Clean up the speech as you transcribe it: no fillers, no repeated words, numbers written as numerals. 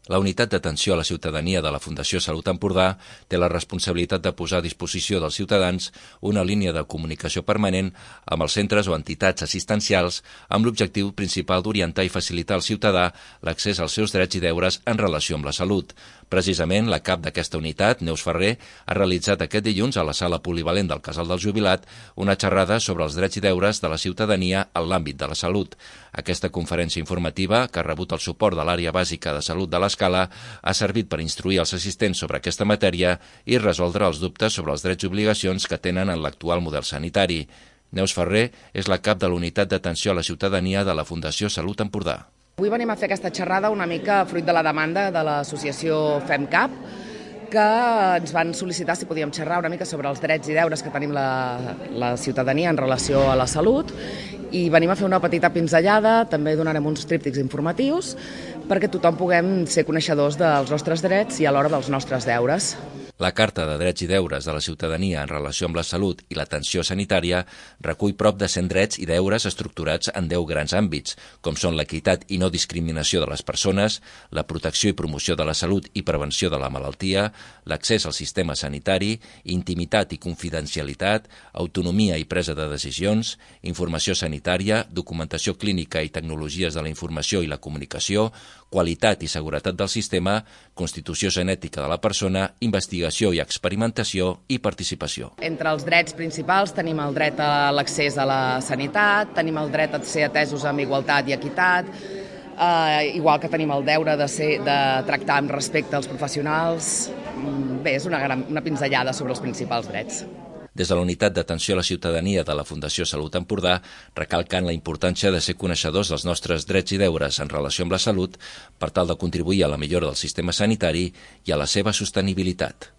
La unitat d'atenció a la ciutadania de la Fundació Salut Empordà té la responsabilitat de posar a disposició dels ciutadans una línia de comunicació permanent amb els centres o entitats assistencials amb l'objectiu principal d'orientar i facilitar al ciutadà l'accés als seus drets i deures en relació amb la salut. Precisament, la cap d'aquesta unitat, Neus Ferrer, ha realitzat aquest dilluns a la sala polivalent del Casal del Jubilat una xerrada sobre els drets i deures de la ciutadania en l'àmbit de la salut. Aquesta conferència informativa, que ha rebut el suport de l'àrea bàsica de salut de l'Escala, ha servit per instruir els assistents sobre aquesta matèria i resoldre els dubtes sobre els drets i obligacions que tenen en l'actual model sanitari. Neus Ferrer és la cap de l'unitat d'atenció a la ciutadania de la Fundació Salut Empordà. Avui venim a fer aquesta xerrada una mica fruit de la demanda de l'associació FemCap, que ens van sol·licitar si podíem xerrar una mica sobre els drets i deures que tenim la ciutadania en relació a la salut, i venim a fer una petita pinzellada, també donarem uns tríptics informatius perquè tothom puguem ser coneixedors dels nostres drets i alhora dels nostres deures. La Carta de Drets i Deures de la Ciutadania en relació amb la salut i l'atenció sanitària recull prop de 100 drets i deures estructurats en 10 grans àmbits, com són l'equitat i no discriminació de les persones, la protecció i promoció de la salut i prevenció de la malaltia, l'accés al sistema sanitari, intimitat i confidencialitat, autonomia i presa de decisions, informació sanitària, documentació clínica i tecnologies de la informació i la comunicació, qualitat i seguretat del sistema, constitució genètica de la persona, investigació i experimentació i participació. Entre els drets principals tenim el dret a l'accés a la sanitat, tenim el dret a ser atesos amb igualtat i equitat, igual que tenim el deure de tractar amb respecte als professionals. Bé, és una pinzellada sobre els principals drets. Des de la Unitat d'Atenció a la Ciutadania de la Fundació Salut Empordà recalquen la importància de ser coneixedors dels nostres drets i deures en relació amb la salut per tal de contribuir a la millora del sistema sanitari i a la seva sostenibilitat.